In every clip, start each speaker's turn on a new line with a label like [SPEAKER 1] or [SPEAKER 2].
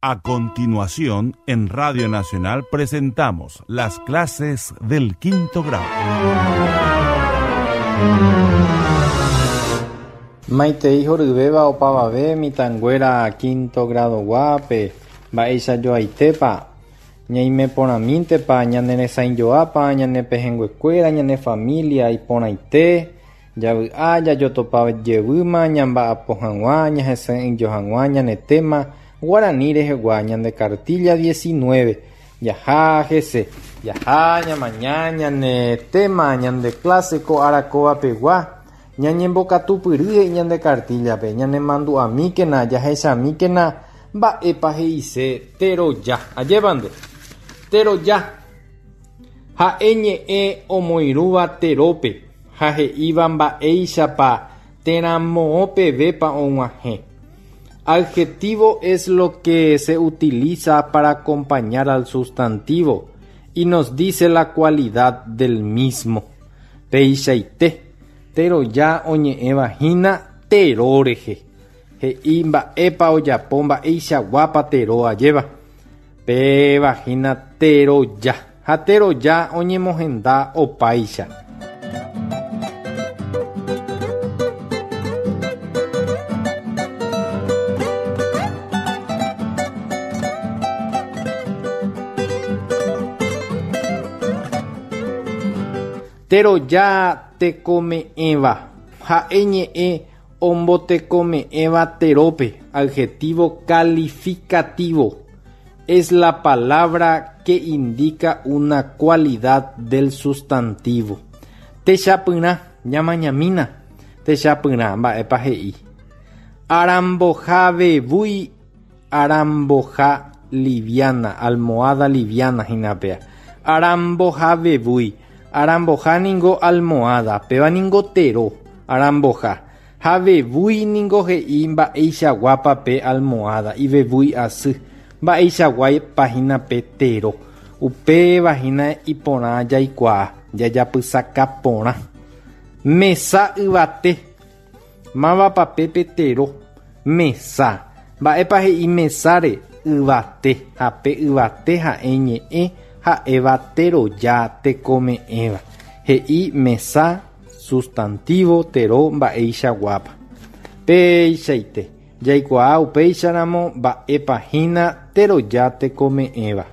[SPEAKER 1] A continuación, en Radio Nacional presentamos las clases del quinto grado.
[SPEAKER 2] Maitei horyvéva opavave mitãnguéra quinto grado-guápe, mba'eichajoaitépa, ñaime porãmíntepa, ñane resãijoápa, ñane pehẽnguekuéra, ñane familia iporãite, Javy'a jajotopa jevýma ñamba'apo hag̃ua ñahesa'ỹijo hag̃ua ñane téma guarani rehegua ñande kartílla 19. Jaha hese. Jaha ñamaña ñane téma ñande kláse ko ára kóva pegua. Ñañembokatupyry he'i ñande kartíllape, ñanemandu'amíkena, jahechamíkena mba'épa he'ise teroja. Ajépa nde. Teroja. Ha'e ñe'ẽ omoirũva terópe ha he'íva mba'éichapa térã moõ pevépa og̃uahẽ. Adjetivo es lo que se utiliza para acompañar al sustantivo y nos dice la cualidad del mismo. Peichaite, teroja oñe'ẽva hína tero rehe. He'i mba'épa ojapo mba'eichaguápa tero ajéva. Péva hína teroja, ha teroja oñemohenda opáicha. Teroja tekome'ẽva, ha'e ñe'ẽ ombotekome'ẽva terópe, adjetivo calificativo. Es la palabra que indica una cualidad del sustantivo. Techapyrã, ñamañamína. Techapyrã, mba'épa he'i. Aramboha vevúi, aramboha liviana, almohada liviana hína péa. Aramboha vevúi, aramboha ningo almohada, péva ningo tero, aramboha. Ha vevúi ningo he'i mba'eichaguápa pe almohada, ivevúi asy, mba'eichaguápa hína pe tero. Upéva hína iporã jaikuaa, jajapysaka porã. Mesa yvate. Mávapa pe pe tero? Mesa. Mba'épa he'i mesáre? Yvate. Ha pe yvate ha'e ñe'ẽ ha'éva teroja tekome'ẽva. He'i mesa Sustantivo tero mba'eichaguápa. Péichaite, jaikuaa upéicharamo mba'épa hína teroja tekome'ẽva.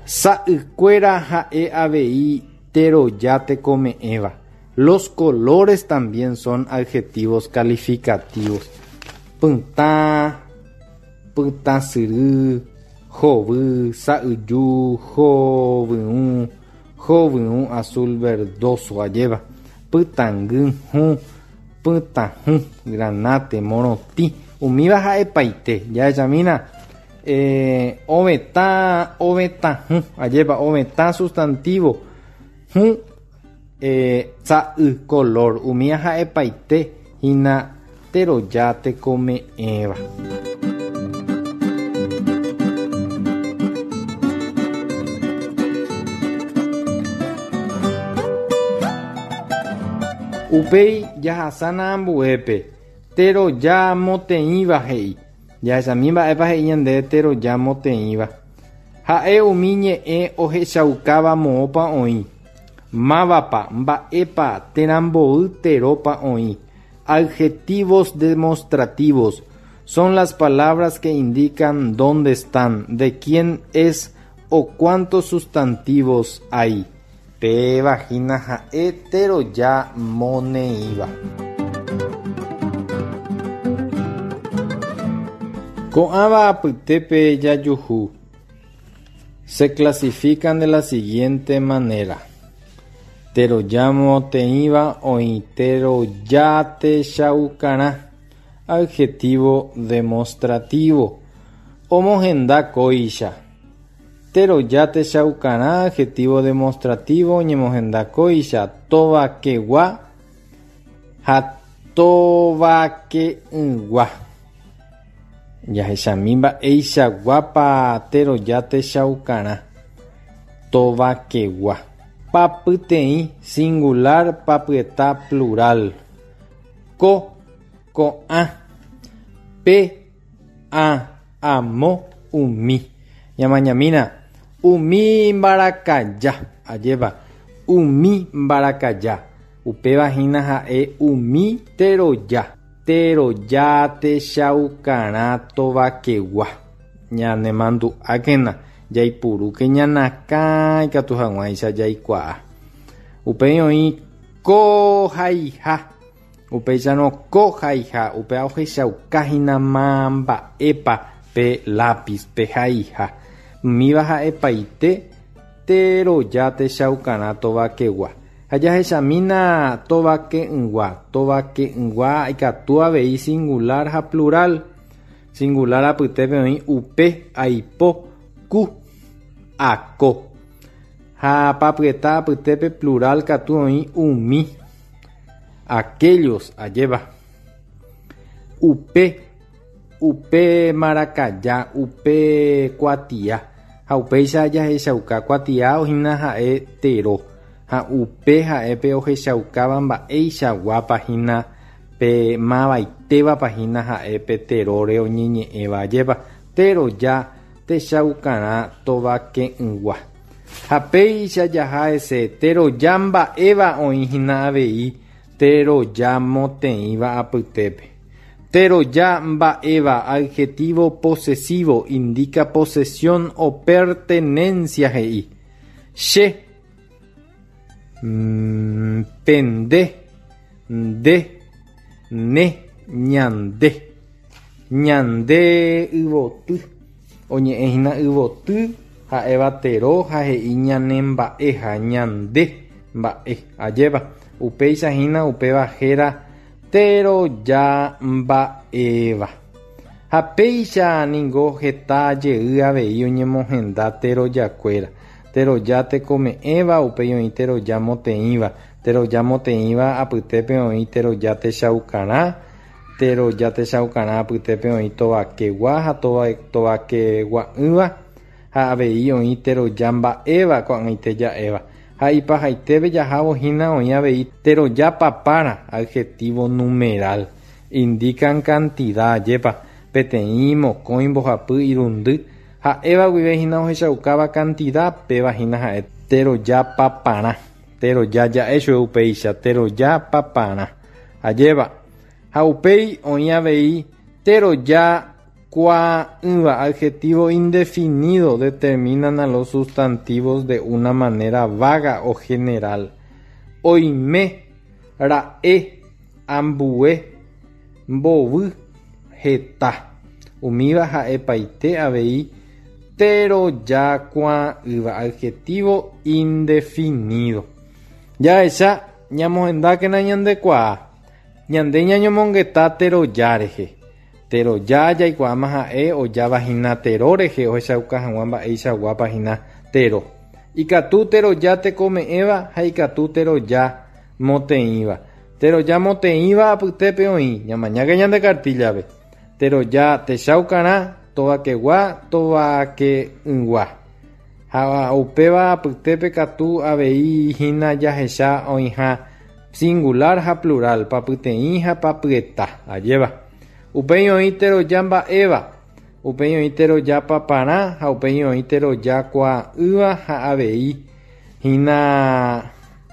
[SPEAKER 2] Sa'ykuéra ha'e avei teroja tekome'ẽva. Los colores también son adjetivos calificativos. Pytã, pytãsyry, hovy, sa'yju, hovyũ, Hovyũ azul verdoso ajéva, pytãngy hũ, pytãhũ, granate, morotĩ, umíva ha'epaite. Jahechamína, eh, ovetã, ovetãhũ, ajépa, ovetã sustantivo, hũ, eh, sa'y, color, umíva ha'epaite hína teroja tekome'ẽva. Upéi jahasána ambuépe, teroja moteĩva he'i. Jahechami mba'épa he'i ñandéve teroja moteĩva. Ha'e umi ñe'ẽ ohechaukáva moõpa oĩ, mávapa, mba'épa térã mboy terópa oĩ. Adjetivos demostrativos son las palabras que indican dónde están, de quién es o cuántos sustantivos hay. Péva hína ha'e teroja moneĩva. Ko'ãva apytépe jajuhu se clasifican de la siguiente manera. Teroja moteĩva oĩ teroja techaukarã, adjetivo demostrativo, omohenda kóicha. Teroja techaukarã, adjetivo demostrativo, oñemohenda kóicha, tovakegua ha tovake'ỹgua. Jahechami mba'eichaguápa teroja techaukarã, tovakegua. Papyteĩ, singular, papyeta, plural. Ko, ko'ã. Pe, ã, amo. umi. Ñamañamína, umi mbarakaja, ajépa, umi mbarakaja, upéva hína ha'e umi teroja, teroja techaukarã tovakegua. Ñanemandu'ákena, jaipurúke ñanakã ikatu hag̃uáicha jaikuaa. Upéi oĩ ko haiha. Upéicharõ ko haiha, upéva ohechauka hína ma mba'épa pe lápiz, pe haiha. Umíva ha'epaite teroja techaukarã tovakegua. Ha jahechamína tovake'ỹgua. Tovake'ỹgua ikatu avei singular ha plural. Singular apytépe oĩ upe, aipo, ku, ako. Ha papyeta apytépe plural katu oĩ umi, aquellos, ajépa. Upe, upe marakaja, upe kuatia. Ha upéicha jahechauka kuatia hína ha'e tero. Ha upe ha'e pe ohechaukáva mba'eichaguápa hína pe mavaitévapa hína ha'e pe teróre oñeñe'ẽva ajépa. Teroja techaukarã tovake'ỹgua. Ha péicha jaha hese teroja mba'éva oĩ hína avei teroja moteĩva apytépe. Teroja mba'éva adjetivo posesivo indica posesión o pertenencia he'i. Che, pende, nde, ne, ñande. Ñande yvoty. Oñe'ẽ hína yvoty ha'éva tero ha he'i ñane mba'eha, ñande mba'e. Ajépa, upéicha hína upéva héra teroja mba'éva. Ha péicha ningo heta jey avei oñemohenda terojakuéra. Teroja tekome'ẽva, upéi oĩ teroja moteĩva. Teroja moteĩva apytépe oĩ teroja techaukarã. Teroja techaukarã apytépe oĩ tovakegua ha tovakegua'ỹva, ha avei oĩ teroja mba'éva ko'ag̃aite ja'éva. Ha ipahaitépe jahávo hína oĩ avei teroja papára, adjetivo numeral. Indican cantidad, ajépa, peteĩ, mokõi, mbohapy, irundy, ha'éva guive hína ohechaukáva cantidad, péva hína ha'e teroja paparã. Teroja ja'e chupe upéicha, teroja paparã. Ajépa. Ha upéi oĩ avei teroja kuaa'ỹva, adjetivo indefinido, determinan a los sustantivos de una manera vaga o general. Oime, ra'e, ambue, mbovy, heta. Umíva ha'epaite avei teroja kuaa'ỹva, adjetivo indefinido. Jahecha ñamohendákena ñandekuaa. Ñande ñañomongeta teroja rehe. Teroja jaikuaáma ha'e ojáva hína tero rehe ohechauka hag̃ua mba'eichaguápa hína tero. Ikatu teroja tekome'ẽva ha ikatu teroja moteĩva. Teroja moteĩva apytépe oĩ, ñamañáke ñande kartíllape. Teroja techaukarã, tovakegua, tovake'ỹgua. Ha upéva apytépe katu avei hína jahecha oĩha singular ha plural, papyteĩ ha papyeta. Ajéva. Upéi oĩ teroja mba'éva, upéi oĩ teroja paparã ha upéi oĩ teroja kuaa'ỹva ha avei hína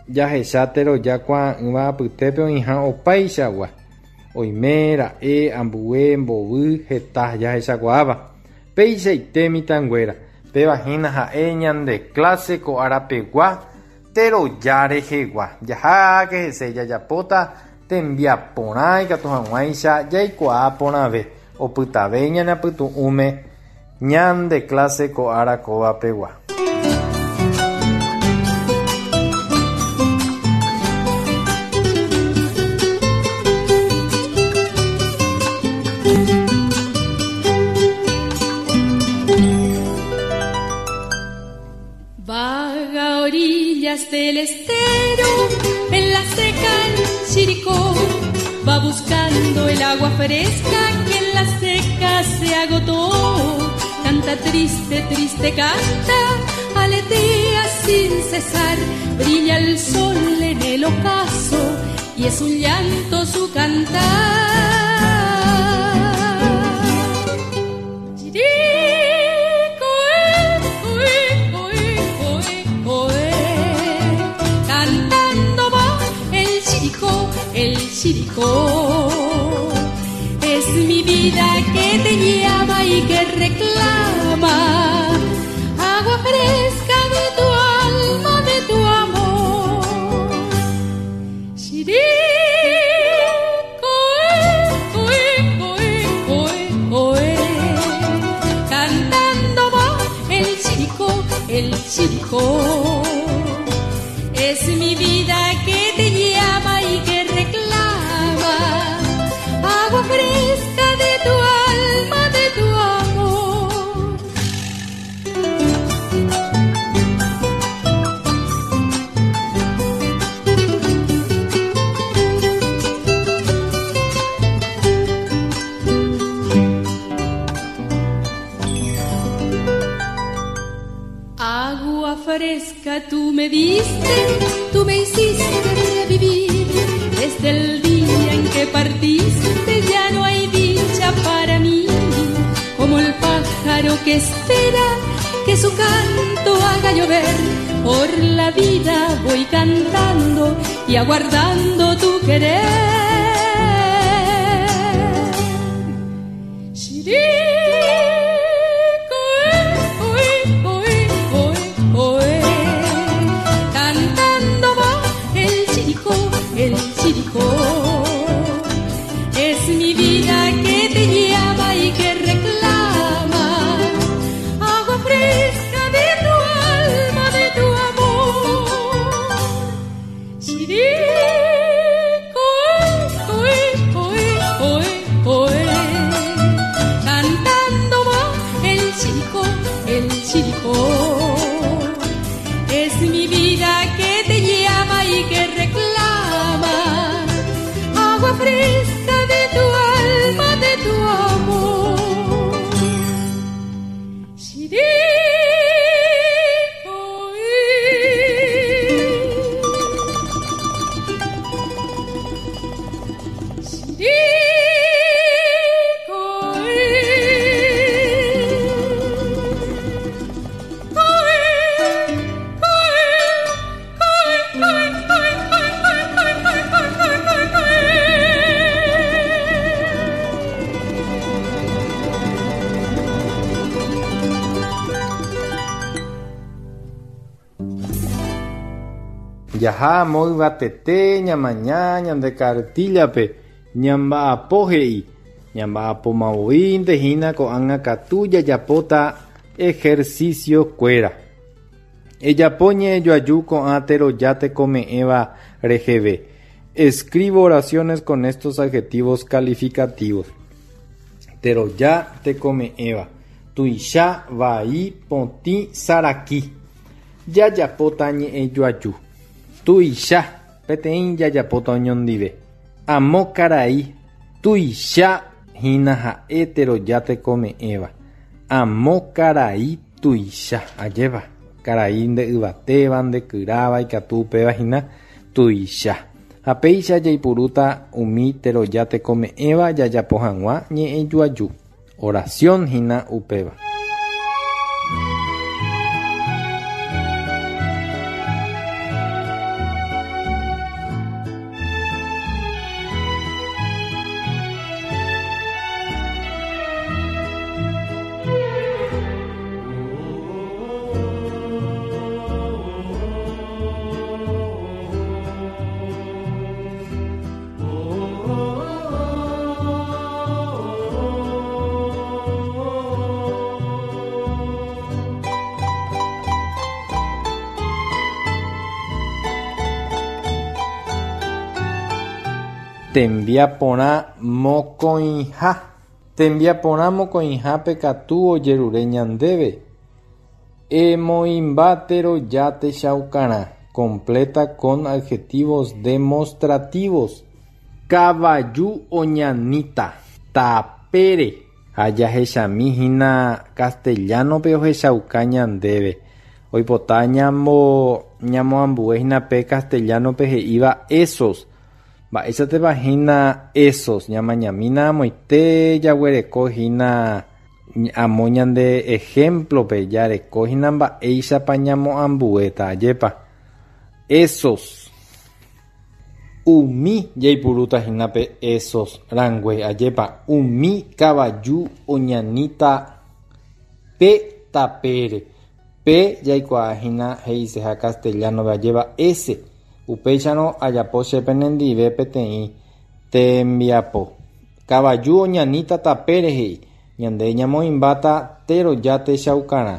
[SPEAKER 2] jahecha teroja kuaa'ỹva apytépe oĩha opaichagua. Oime, ra'e, ambue, mbovy, heta jahechakuaáva. Peichaite mitãnguéra, péva hína ha'e ñande clase ko arapegua teroja rehegua. Jaháke hese jajapóta tembiaporã ikatu hag̃uáicha jaikuaa porãve, opytave ñane apytu'ũme ñande clase ko ára kóva pegua.
[SPEAKER 3] Vaga a orillas del estero, en la seca el Chiricó, va buscando el agua fresca que en la seca se agotó. Canta triste, triste canta, aletea sin cesar, brilla el sol en el ocaso y es un llanto su cantar. Chiricó. Chiricó. Es mi vida que te llama y que reclama agua fresca de tu alma, de tu amor. Chirico, oe, Cantando va el chirico, el chirico. Es mi vida que te llama y que reclama agua fresca de tu alma, de tu amor. Agua fresca tú me diste, tú me hiciste revivir. Desde el día en que partiste ya no hay dicha para mí. Como el pájaro que espera que su canto haga llover. Por la vida voy cantando y aguardando tu querer. Chirico, oe, oe, oe, oe. Cantando va el chirico, el chirico. Es mi vida que te llama y que reclama agua fresca de tu alma, de tu amor. Chirico, oe, oe, oe, oe. Cantando va el chirico, el chirico. Es mi vida que te llama y que reclama agua fresca de tu alma, de tu amor. Chirico,
[SPEAKER 2] Jaha amo yvatete ñamaña ñande kartíllape ñamba'apo he'i ñamba'apomavoínte hína ko'ág̃a katu jajapóta ejercicio-kuéra. Ejapo ñe'ẽjoaju ko'ã teroja tekome'ẽva reheve. Escribo oraciones con estos adjetivos calificativos. Teroja tekome'ẽva. Tuicha, vai, potĩ, saraki. Jajapóta ñe'ẽjoaju. Tuicha, peteĩ jajapóta oñondive. Amo karai, tuicha hína ha'e teroja tekome'ẽva. Amo karai tuicha, ajépa, karai nde yvatéva, nde kyráva, ikatu upéva hína tuicha. Ha péicha jaipurúta umi teroja tekome'ẽva jajapo hag̃ua ñe'ẽjoaju. Oración hína upéva. Tembiaporã mokõiha. Tembiaporã mokõihápe katu ojerure ñandéve. Emoĩmba teroja techaukarã. Completa con adjetivos demostrativos. Kavaju oñaníta. Tapére. Ha jahechami hína castellano-pe ohechauka ñandéve. Oipota ñamoambue hína pe castellano-pe he'íva esos. Mba'éichatepa hína esos. Ñamañamína amoite jaguereko hína amo ñande ejemplo-pe jareko hína mba'éichapa ñamoambuéta. Ajépa. Esos. Umi jaipurúta hína pe esos rangue, ajépa umi kavaju oñaníta pe tapére. Pe jaikuaa hína he'iseha castellano-pe ajépa ese. Upéicharõ ajapo che penendive peteĩ tembiapo. Kavaju oñaníta tapére he'i, ñande ñamoĩmbáta teroja techaukarã.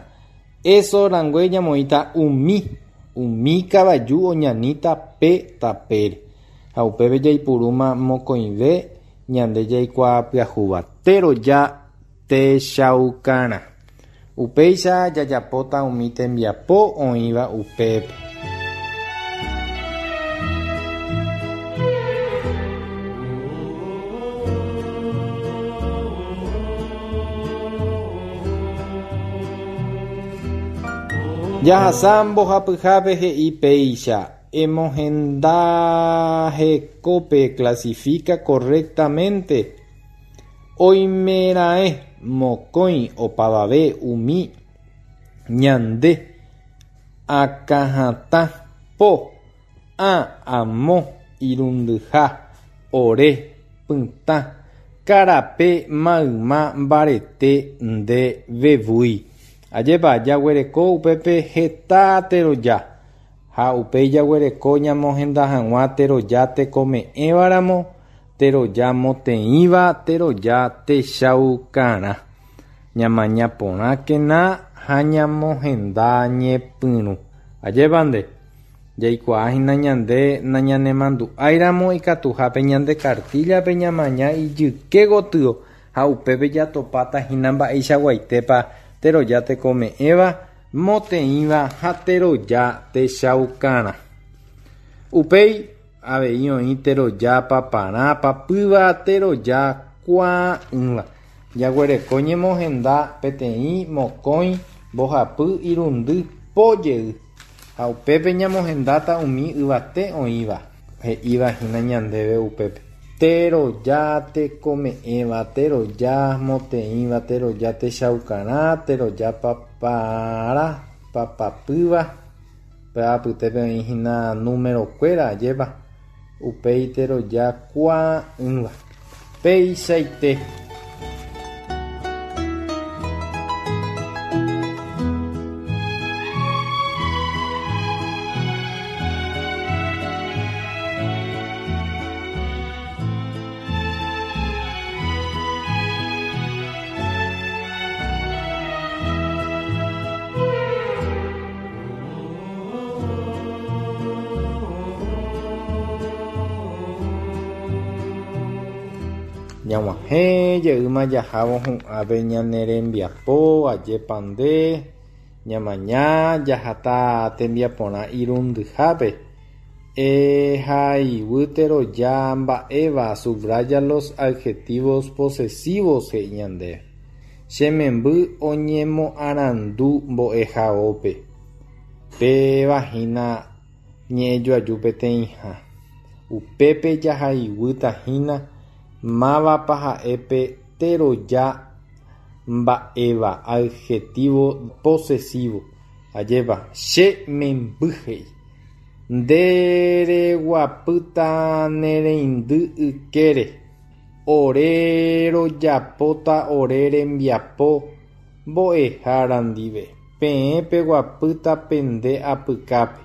[SPEAKER 2] Eso rangue ñamoĩta umi, umi kavaju oñaníta pe tapére. Ha upépe jaipurúma mokõive ñande jaikuaa pyahúva, teroja techaukarã. Upéicha jajapóta umi tembiapo oĩva upépe. Jahasa mbohapyhápe he'i péicha, Emohenda hekópe clasifica correctamente oimeraẽ mokõi opavave umi ñande akãhatã po ã amo irundyha ore pytã karape mayma mbarete nde vevúi. Ajépa jaguereko upépe heta teroja ha upéi jaguereko ñamohenda hag̃ua teroja tekome'ẽvaramo teroja moteĩva teroja techaukarã. Ñamaña porãkena ha ñamohenda ñepyrũ. Ajépa nde? Jaikuaa hína ñande nañanemandu'áiramo ikatuhápe ñande kartíllape ñamaña ijyke gotyo ha upépe jatopáta hína mba'eichaguaitépa teroja tekome'ẽva, moteĩva ha teroja techaukarã. Upéi avei oĩ teroja paparã, papýva, teroja kuaa'ỹva. Jaguereko ñemohenda peteĩ, mokõi, mbohapy, irundy, po jey. Ha upépe ñamohendáta umi yvate oĩva, he'íva hína ñandéve upépe. Teroja tekome'ẽva, teroja moteĩva, teroja techaukarã, teroja papara, papapýva, upéva apytépe oĩ hína número-kuéra, ajépa? Upéi teroja kuaa'ỹva. Peichaite. Ñag̃uahẽ jeýma jahávo hu'ãpe ñane rembiapo, ajépa nde, ñamaña jahata tembiaporã irundyhápe. Ehaiguy teroja mba'éva Subraya los adjetivos posesivos he'i ñandéve. Che memby oñemoarandu mbo'ehaópe. Péva hína ñe'ẽjoaju peteĩha. Upépe jahaiguýta hína mávapa ha'e pe teroja mba'éva, adjetivo posesivo. Ajépa, che memby he'i. Nde reguapýta ne reindy ykére. Ore rojapóta ore rembiapo mbo'ehára ndive. Peẽ peguapýta pende apykápe.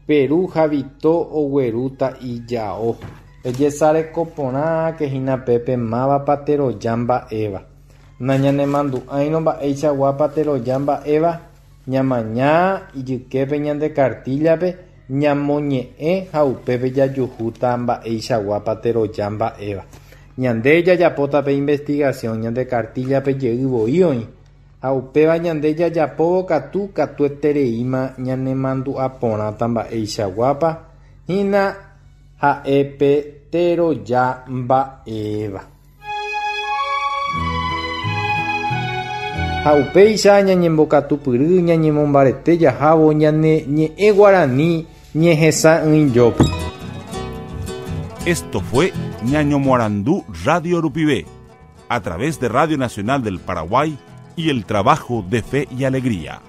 [SPEAKER 2] Peru ha Vito oguerúta ijao. Ejesareko porãke hína pépe mávapa teroja mba'éva. Nañanemandu'áirõ mba'eichaguápa teroja mba'éva, ñamaña ijyképe ñande kartíllape, ñamoñe'ẽ ha upépe jajuhúta mba'eichaguápa teroja mba'éva. Ñande jajapóta pe investigación ñande kartíllape jey voi oĩ. Ha upéva ñande jajapóvo katu katuetereíma ñanemandu'a porãta mba'eichaguápa hína ha'e pe teroja mba'éva. Ha upéicha ñañembokatupyry ñañemombarete jahávo ñane ñe'ẽ guarani ñehesa'ỹijópe.
[SPEAKER 1] Esto fue Ñañomoarandu Radio Rupive, a través de Radio Nacional del Paraguay y el trabajo de Fe y Alegría.